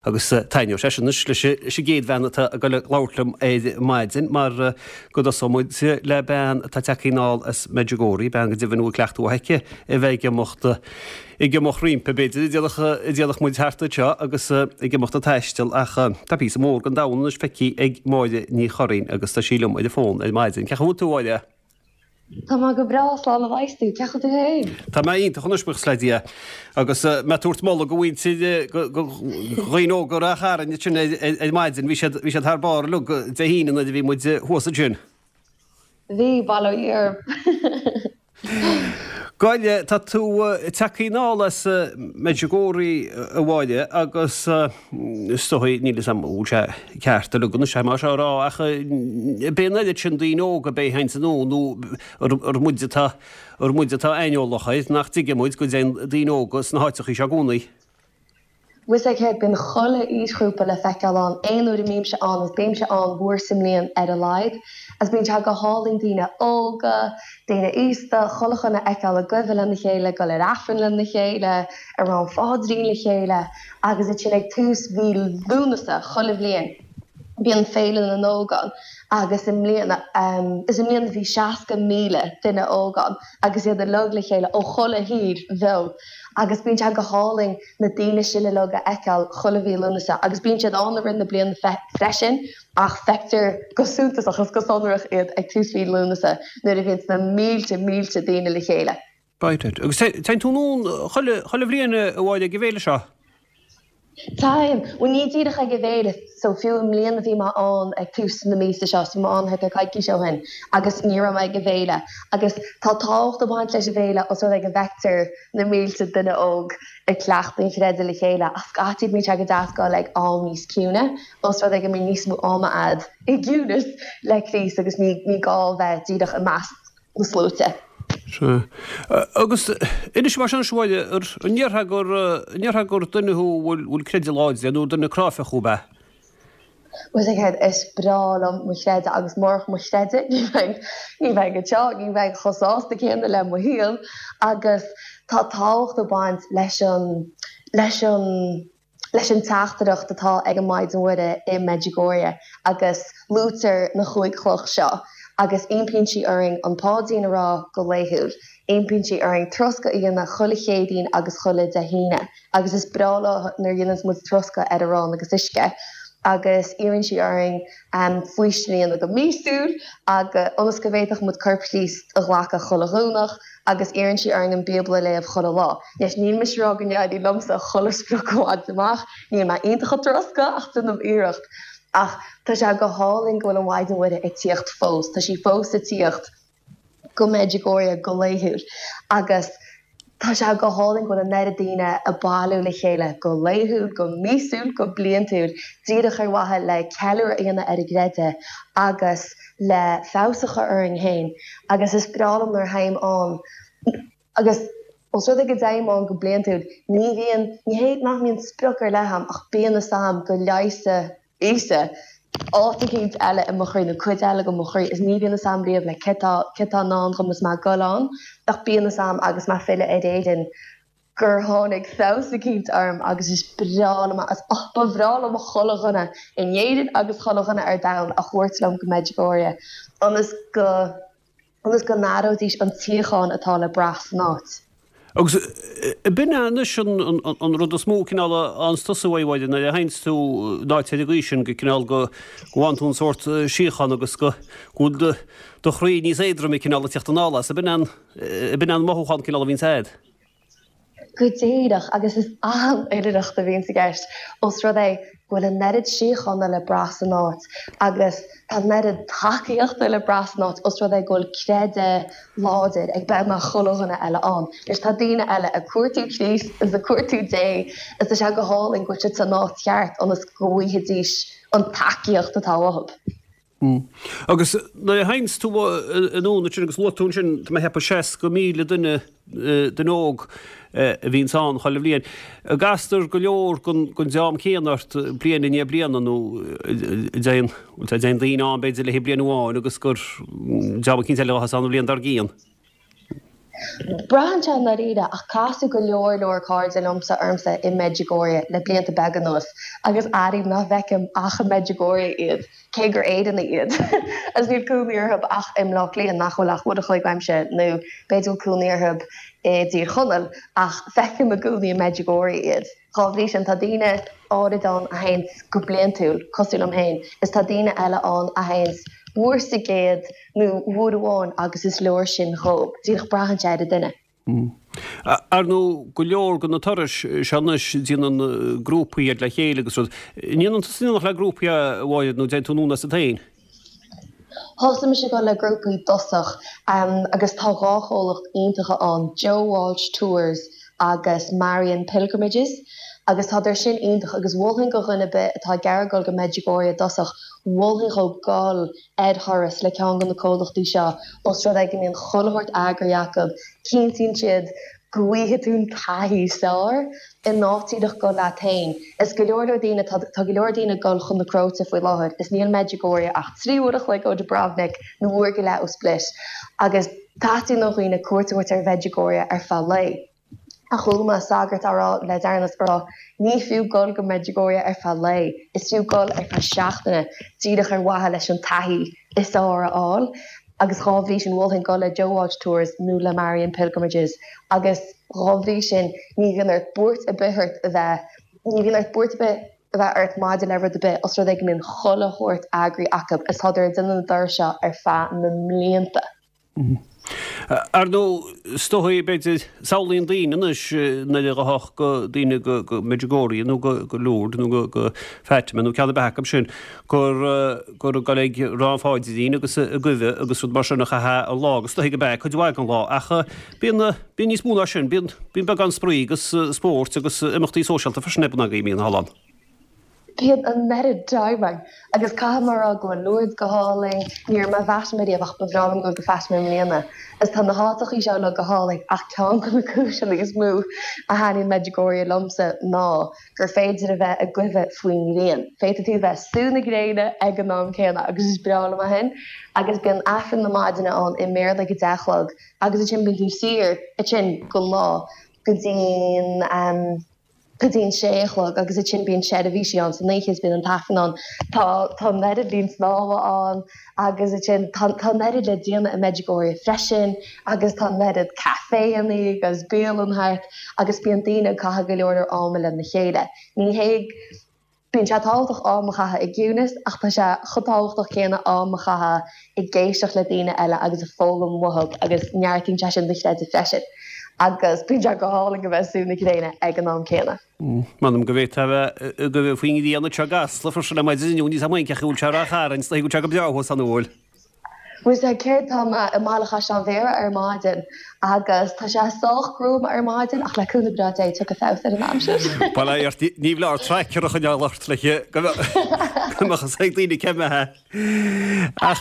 Agus taitneoidh sé sin anois leis an gcéad bhean atá ag dul ag labhairt liom ar maidin mar go dtosóidh muid le bean atá tagtha anall as Medjugorje, bean go deimhin a bhfuil cleachtadh aici a bheith ag imeacht, ag imeacht roimpi, b'fhéidir, a déarfadh muid thart anseo agus ag imeacht ag taisteal ach tá píosa mór den domhan anois feicthe ag Máire Ní Churraoin agus tá sí liom ar an bhfón ar maidin. Cén chaoi a bhfuil tú, a Mháire? Tá mé go breá, slán a bheas tú. Cén chaoi a bhfuil tú féin? Tá mé iontach anois, buíochas le Dia. Agus mé ag tabhairt moladh do mhuintir, do dhaoine óga Ráth Chairn ansin ar maidin, bhí siad, bhí siad thar barr uilig Dé hAoine nuair a bhí muid thuas ansin. Bhí, bail ó Dhia orthu. Gabh i leith, tá tú tagtha anall as Medjugorje, a Mháire, agus is dóigh, níl 'fhios a'm an bhfuil sé ceart uilig anois é mar seo a rá, ach ab é an oiread sin daoine óga ab é a théanns anonn nó ar muid atá, ar muid atá aineolach air, nach dtuigeann muid go dtéann daoine óga sna háiteachaí seo i gcónaí. Bhfuil 'fhios a'd céard, bíonn chuile aoisghrúpa le feiceáil ann, aon uair a mbímse ann, agus bímse ann uair sa mbliain ar a laghad, agus bíonn sé go hálainn daoine óga, daoine aosta, chuile dhuine a fheiceáil ag guibhe lena chéile, ag dul ar Aifreann lena chéile, ag rá an pháidrín le chéile, agus ansin ag tús mhí Lúnasa chuile bhliain bíonn Féile na nÓg ann agus i mbliana, is i mbliana bhí 60,000 duine óg ann agus iad uilig le chéile ó chuile thír bheo agus bíonn sé go hálainn na daoine sin uilig a fheiceáil chuile mhí Lúnasa agus bíonn siad ann i rith na bliana freisin ach feictear go suntasach is go sonrach iad ag tús mhí Lúnasa nuair a bhíonns na mílte mílte daoine le chéile. Right, right. Agus téann tú anonn chuile, chuile bhliain a Mháire ag an bhféile seo? Téim. Bhuel ní díreach ag an bhféile, so fiú i mbliana bhí mé ann ag tús na míosa seo, so bhí mé ann thart ar coicís ó shin agus ní raibh mé ag an bhféile. Agus tá tábhacht ag baint leis an bhféile os rud é go bhfeictear na mílte duine óg ag cleachtadh an chreidimh le chéile ach scaití bíonn sé go deas dul ag am níos ciúine os rud é go mbíonn níos mó ama a'd i gciúnas le Críost agus ní ní gá bheith díreach i measc na sluaite. Sea. Agus inis mar sin anois a Mháire, an ndéarfá gur, an ndéarfá gur duine thú a bhfuil, bhfuil creideamh láidir nó duine cráifeach thú ab ea? Bhfuil 'fhios a'd céard, is breá liom mo chreideamh agus murach mo chreideamh ní bheinn, ní bheinn anseo, ní bheinn chomh sásta céanna le mo shaol agus tá tábhacht ag baint leis an, leis an, leis an teachtaireacht atá ag an Maighdean Mhuire i Medjugorje agus luaitear na chúig chloch seo agus impíonn sí orainn an Páidrín a rá go laethúil, impíonn sí orainn troscadh a dhéanamh chuile Chéadaoin agus chuile Dé hAoine. Agus is breá leo nuair a dhéananns muid troscadh ar arán agus uisce agus iarrann sí orainn faoistin a dhéanamh go míosúil agus ionas go bhféadfadh muid Corp Chríost a ghlacadh chuile Dhomhnach agus iarrann sí orainn an Bíobla a léamh chuile lá. Anois níl mise ag rá go n-éiríonn liomsa chuile sprioc a bhaint amach, níl mé iontach ag troscadh ach déanaim iarracht. Ach tá sé go hálainn go bhfuil an Mhaighdean Mhuire ag tíocht fós, tá sí fós ag tíocht. go Medjugorje go laethúil agus tá sé go hálainn go bhfuil an oiread daoine ag bailiú le chéile go laethúil, go míosúil, go bliantúil, díreach ar mhaithe le ceiliúradh a dhéanamh ar a gcreideamh agus le feabhas a chur orainn féin agus is breá liom nuair a théim ann agus os rud é go dtéim ann go bliantúil ní bhíonn, ní hé nach mbíonn sprioc ar leith a'm ach bíonn fhios a'm go leigheasfaidh Íosa, áit eicínt eile i mo chroí nó cuid eile de mo chroí is ní bhíonn fhios a'm riamh like céard tá céard tá i ndán dhom is mé ag dul ann ach bíonn fhios a'm agus mé ag filleadh ar Éirinn gur tháinig feabhas eicínt orm agus is breá liom agus oh ba bhreá liom chuile dhuine in Éirinn agus chuile dhuine ar domhan a thabhairt liom go Medjugorje ionas go ionas go n-aireoidís an tsíocháin atá le brath san áit. Agus b'in é anois an rud is mó cineál a fhaigheanns tusa uaidh, a Mháire, nuair a théanns tú in áit ar an gcaoi sin, go cineál go bhfaigheann tú an sórt síochána agus go bhfuil do chroí níos éadroime cineál ag tíocht anall as. Ab in é an mothúchán cineál a bhíonns a'd? Go díreach, agus is an-oilithreacht a bhíonns i gceist, ós rud é go bhfuil an oiread síochána le brath san áit agus tá an oiread tacaíochta le brath san áit, ós rud é go bhfuil creideamh láidir ag beagnach chuile dhuine eile ann. Anois tá daoine eile ag cuartú Críost is ag cuartú Dé is tá sé go hálainn go bhfuil siad san áit cheart ionas go bhfaighidís an tacaíocht atá uathu. Agus nuair a théanns tú anonn ansin agus luaigh tú ansin, tá mé ag ceapadh 60,000 duine, duine óg a bhíonns ann chuile bhliain. An gcastar go leor den dream céanna ort bliain i ndiaidh bliana nó an dtéann, an dtéann daoine ann b'fhéidir le haghaidh bliain amháin agus gur dream eicínt eile a bheas ann an bhliain dár gcionn? Braitheann sé i ndáiríre, ach casadh go leor leor cairde liomsa ormsa i Medjugorje le blianta beaga anuas agus airím nach bhfeicim ach i Medjugorje iad, cé gur Éireannaigh iad. Agus níl cónaí orthu ach i mBleá Cliath, nach bhfuil ach uair a chloig uaimse, nó b'fhéidir go bhfuil cónaí orthu i dTír Chonaill, ach feicim i gcónaí i Medjugorje iad. Dhá bhrí sin, tá daoine áirid ann a théanns go bliantúil, cosúil liom féin, is tá daoine eile ann a théanns uair sa gcéad nó uair amháin agus is leor sin dhóibh. Díreach braitheann sé ar an duine. Ar ndóigh, go leor de na turais seo anois, déanann grúpaí iad le chéile agus rud. An ndéanann tusa in éineacht le grúpaí a Mháire nó déanann tú anonn asat féin? Thosaigh mise ag dul le grúpaí i dtosach agus tá dhá chomhlacht iontacha ann, Joe Walsh Tours agus Marian Pilgrimages agus tádar sin iontach agus mholfainn go dhuine ar bith atá ag iarraidh dul go Medjugorje i dtosach, mholfainn dhó dul ar thuras le ceann de na comhlachtaí seo os rud é go mbíonn chuile shórt eagraithe acu, cinntíonn siad go bhfaighidh tú an taithí is fearr in áit díreach dul leat féin. Is go leor leor daoine, tá go leor daoine ag dul chun na Cróite faoi láthair, is níl Medjugorje ach 3 uair a chloig ó Dubrovnik nó uair go leith ó Split agus teastaíonn ó dhaoine cuairt a thabhairt ar Mhedjugorje ar feadh lae. Ach chuala mé sagart á rá le deireanas, á rá, ní fiú dul go Medjugorje ar feadh lae, is fiú dul ar feadh seachtaine díreach ar mhaithe leis an taithí is fearr a fháil. Agus dhá bhrí sin mholfainn dul le Joe Walsh Tours nó le Marian Pilgrimages agus dhá bhrí sin ní bhíonn ort buairt ar bith ort a bheith, ní bhíonn ort buairt ar bith a bheith ort maidir le rud ar bith os rud é go mbíonn chuile shórt eagraithe acu is tádar ag déanamh na dturas seo ar feadh na mblianta. Ar ndóigh, is dóigh, b'fhéidir, samhlaíonn daoine anois nuair a ghabhfadh go daoine go Medjugorje nó go Lourdes nó go Fatima nó ceann ar bith acu sin gur gur ag dul ag rá an pháidrín agus ag guibhe agus rud mar sin a chaithfeá an lá agus is dóigh gurb ea cuid mhaith den lá ach bíonn bíonn níos mó ná sin, bíonn bíonn beagán spraoi agus spóirt agus imeachtaí sóisialta freisin ar bun agaibh, mbíonn thall ann. Bíonn an oiread time agus caithfidh mé a rá go bhfuil Lourdes go hálainn, ní raibh mé i bhFatima riamh ach ba bhreá liom dul go Fatima i mbliana. Is tá na háiteachaí seo uilig go hálainn ach ceann de na cúiseanna is mó a thaitníonn Medjugorje liomsa ná gur féidir a bheith ag guibhe faoin ngrian. Féadfaidh tú a bheith ag sú na gréine ag an am céanna agus is breá liom é sin. Agus bíonn Aifreann na maidine ann i mBéarla ag a deich a chlog agus ansin bíonn tú saor ansin don lá go dtí'n go dtí'n sé a chlog agus ansin bíonn seirbhísí ann san oíche is bíonn an tAifreann ann. Tá tá an oiread linn snámha ann agus ansin tá tá an oiread le déanamh i Medjugorje freisin agus tá an oiread caiféanna agus bialann thart agus bíonn daoine ag caitheamh go leor leor ama lena chéile. Ní hé Bíonn sé tábhachtach am a chaitheamh i gciúnas ach tá sé chomh tábhachtach céanna am a chaitheamh ag éisteacht le daoine eile agus ag foghlaim uathu agus neartaíonn sé sin do chreideamh freisin. Agus bíonn sé go hálainn a bheith ag sú na gréine ag an am céanna. M'anam go bhféadfá a bheith ag guibhe faoin ngrian anseo i gCasla freisin ar maidin inniu, níl 's a'm cén chaoi a bhfuil sé i Ráth Chairn, is dóigh go bhfuil sé go breá thuas ann an bhfuil? Bhuel sea, céard, tá mé i mBaile Chaisleáin Bhéarra ar maidin agus tá sé sách gruama ar maidin ach le cúnamh breá Dé tiocfaidh feabhas ar an aimsir. Bail ó Dhia ort, ní foláir tracker a choinneáil ort le go mbeadh a fhios ag daoine cé mbeadh. Ach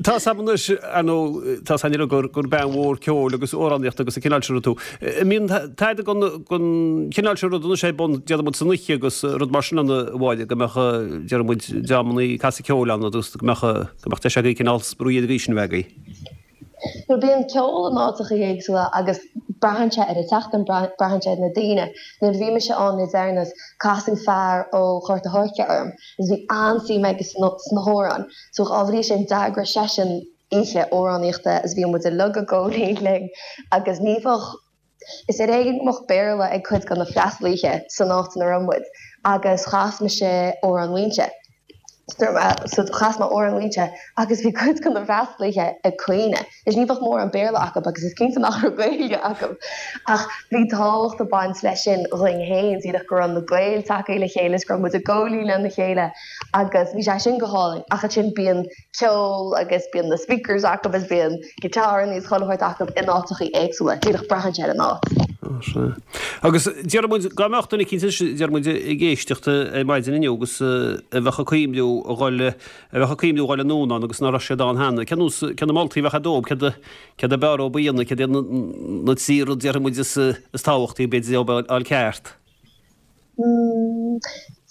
tá 's a'm anois, ar ndóigh, tá 's a'inn uilig gur bean mhór ceoil agus amhránaíochta agus an cineál sin rud tú. An mbíonn tada den chineál sin rud anois ar bun, déarfaidh muid san oíche agus rud mar sin ann a Mháire, go mbeadh, déarfaidh muid, dreamannaí ag casadh ceoil ann agus go mbeadh, go mbeadh deis agaibh cineál spraoi ar an gcaoi sin a bheith agaibh. Bhuel, bíonn ceol in áiteachaí éagsúla agus braitheann sé ar an tseachtain, braitheann sé ar na daoine. Nuair a bhí mise ann le deireanas, casadh fear ó Ghort a' Choirce orm agus bhí an-suim aige sna hamhráin. So dhá bhrí sin, d'eagraigh seisean oíche amhránaíochta is bhí muid uilig ag gabháil fhoinn linn agus ní bheadh, is ar éigean go mbeadh Béarla ag cuid de na freastalaithe san áit ina raibh muid agus chas mise Amhrán Mhaínse. So chas mé Amhrán Mhaínse agus bhí cuid de na freastalaithe ag caoineadh. Is ní bheadh mórán Béarla acu agus is cinnte nach raibh Gaeilge acu. Ach bhí tábhacht ag baint leis sin dhúinn féin, díreach go raibh na Gaeil tagtha le chéile is go raibh muid ag gabháil fhoinn lena chéile agus bhí sé sin go hálainn. Ach ansin bíonn ceol agus bíonn na speakers acu agus bíonn guitar is chuile shórt acu in áiteachaí éagsúla, díreach braitheann sé ar an áit. Á, sea. Agus déarfaidh muid, dá mbeadh duine eicínt anois, déarfaidh muid, ag éisteacht ar maidin inniu agus a bheadh ag cuimhniú a dhul, a bheadh ag cuimhniú a dhul anonn ann agus ná raibh siad ann cheana, cén nós, cé na moltaí a bheadh agat dóibh, céard a, céard ab fhearr dóibh a dhéanamh, céard iad na, na trí rud, déarfaidh muid, is, is tábhachtaí, b'fhéidir, dóibh a fháil ceart?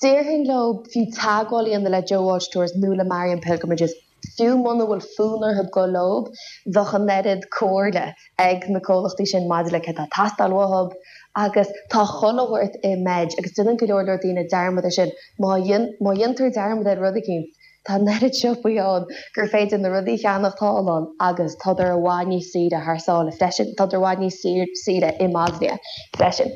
Déarfainn leo fiú teagmháil a dhéanamh le Joe Walsh Tours nó le Marian Pilgrimages. Fiú muna bhfuil fonn orthu dul leob, bheadh an oiread comhairle ag na comhlachtaí sin maidir le céard atá ag teastáil uathub agus tá chuile shórt i Mej agus déanann go leor leor daoine dearmad ar sin. Má má dhéantar dearmad ar rud eicínt, tá an oiread siopaí ann gur féidir na rudaí a cheannach thall ann agus tádar i bhfad níos saoire thar sáile freisin, tádar i bhfad níos saoire i mBosnia freisin.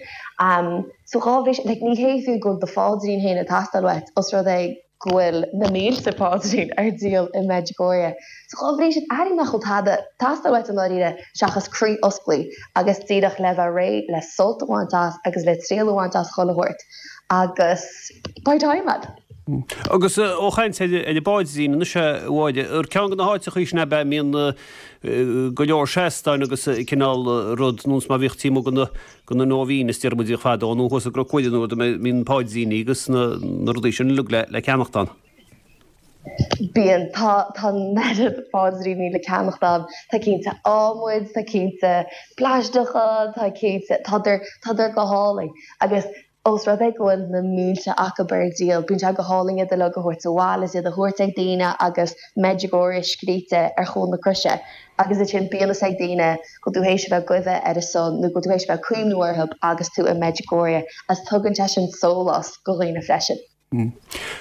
So dhá bhrí sin, like ní hé fiú go bhfuil do pháidrín féin ag teastáil uait os rud é go bhfuil na mílte paidrín ar díol i Medjugorje. So dhá bhrí sin, airím nach bhfuil tada ag teastáil uait i ndáiríre seachas croí osclaí agus díreach le bheith réidh le sult a bhaint as agus le triail a bhaint as chuile shórt agus beidh time a'd. Agus ó chaint ar an bpáidrín anois a Mháire, ar ceann de na háiteachaí sin ab ea a mbíonn go leor seastáin agus cineál rud, nós mar bhíodh taobh amuigh de na Nóibhíneas, deir muid, bhíodh fadó, nó thuas i gCnoc Mhuire nó rud a mbíonn páidríní agus na rudaí sin uilig le ceannacht ann. Bíonn. Tá, tá an oiread páidríní le ceannacht ann. Tá cinnte adhmaid, tá cinnte plaisteacha, tá cinnte, tádar, tádar go hálainn. Agus ós rud é go bhfuil na mílte acu ar díol, bíonn sé go hálainn iad uilig a thabhairt abhaile is iad a thabhairt ag daoine agus Medjugorje scríte ar chúl na croise agus ansin bíonn fhios ag daoine go bhfuil tú théis a bheith ag guibhe ar a son nó go bhfuil tú théis a bheith ag cuimhniú orthu agus tú i Medjugorje agus tugann sé sin sólás go dhaoine freisin.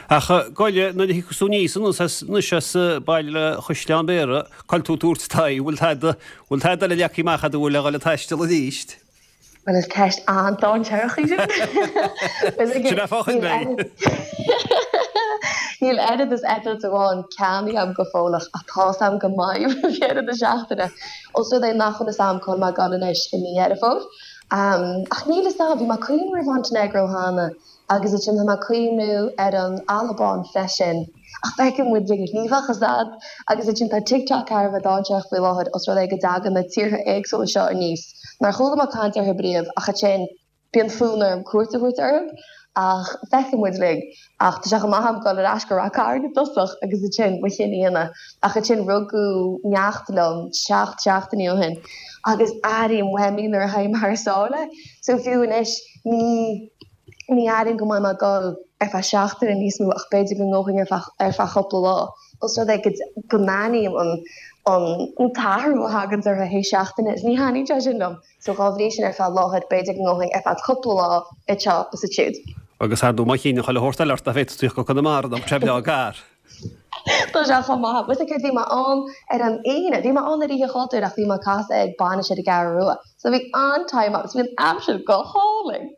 Ach goile, nuair a thiocfas tú aníos anuas as anois as baile Chaisleán Bhéarra, cá bhfuil tú ag tabhairt d'aghaidh, bhfuil tada, bhfuil tada eile leagtha amach agat a bhfuil le dhul ag taisteal arís? Bhuel, is ceist an-dainséarach í sin. Sin é fá choinne mé. Níl oiread is eitilt amháin ceannaithe agam go fóilleach ach tá's agam go mbeidh roimh dheireadh na seachtaine. Ós rud é nach bhfuil fhios agam cá bhfuil mé ag dul anois i mí Dheireadh Fómhair. Ach níl fhios agam, bhí mé ag cuimhniú ar Mhontainéagró cheana agus ansin tá mé ag cuimhniú ar an Albáin freisin. Ach feicfidh muid, ní bheadh fhios a'd. Agus ansin tá TikTok thar a bheith dainséarach faoi láthair os rud é go dtagann na tíortha éagsúla seo aníos nár chuala mé caint orthu riamh ach ansin bíonn fonn orm cuairt a thabhairt orthu. Ach feicfidh muid linn. Ach tá sé chomh maith a'm dul ar ais go Rath Cairn i dtosach agus ansin mo chinneadh a dhéanamh. Ach ansin rugadh neacht liom seacht seachtainí ó shin agus airím uaim í nuair a théim thar sáile. So fiú anois ní. Ní airím go mbeidh mé ag dul ar feadh seachtaine níos mó ach b'fhéidir go ngabhfainn ar feadh ar feadh cúpla lá. Os rud é go go n-aithním an an an t-athrú a thaganns orthu théis seachtaine is ní thaitníonn sé sin liom. So dhá bhrí sin ar feadh láthair b'fhéidir go ngabhfainn ar feadh cúpla lá anseo is ansiúd. Agus ar ndóigh má chinneann chuile shórt eile ort nach bhféadfadh tú tíocht go Conamara nó sé breá gar. Tá sé chomh maith. Bhuel céard bhí mé ann ar an Aoine. Bhí mé ann ar Oíche Chultúir ach bhí mé ag casadh ag bainis ar an gCeathrú Rua. So bhí an-time agam. Bhí an aimsir go hálainn.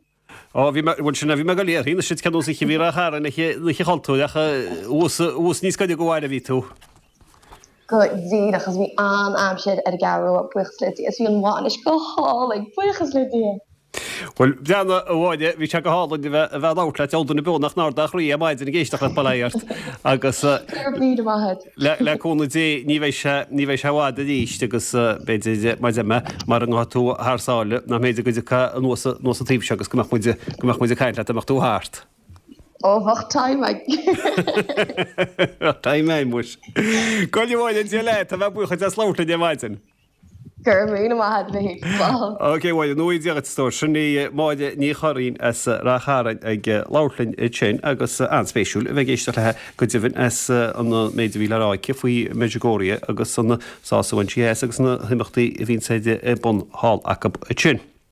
Ó, bhí mé, bhuel sin é, bhí mé ag dul a iarraidh, anois cén nós oíche a bhí Ráth Chairn oíche, Oíche Chultúir ach thuas, thuas níos gaire do bhaile a bhí tú. Go díreach, agus bhí an-aimsir ar an gCeathrú Rua, buíochas le Dia, is bhí an bhainis go hálainn, buíochas le Dia. Bhuel, breathnaigh, a Mháire, bhí sé go hálainn a bheith, a bheith ag labhairt leat, deabhal duine beo nach n-ardódh a chroí ar maidin ag éisteacht leat, bail ó Dhia ort. Agus Go raibh míle maith agat. le, le cúnamh Dé, ní bheidh sé, ní bheidh sé i bhfad arís agus b'fhéidir, mar a deir mé, mara ngabhfaidh tú thar sáile, nach mb'fhéidir go dtiocfá anuas, anuas an taobh seo agus go mbeadh muid, go mbeadh muid ag caint leat dá mbeadh tú thart. Ó, bheadh time ag. Bheadh time ag, muis. Go raibh a Mháire, Dia leat, tá mé buíoch duit as labhairt linn ar maidin. Go raibh míle maith agat, a Mhichíl. Slán. Ok, a Mháire, go ngnóthaí Dia dhuit, a stór. Sin í Máire Ní Churraoin as Rath Chairn ag labhairt linn ansin agus an-spéisiúil a bheith ag éisteacht léi go deimhin as an méid a bhí le rá aici faoi Medjugorje agus an sás a bhain sí as agus na himeachtaí a bhíonns ar bun thall acu ansin.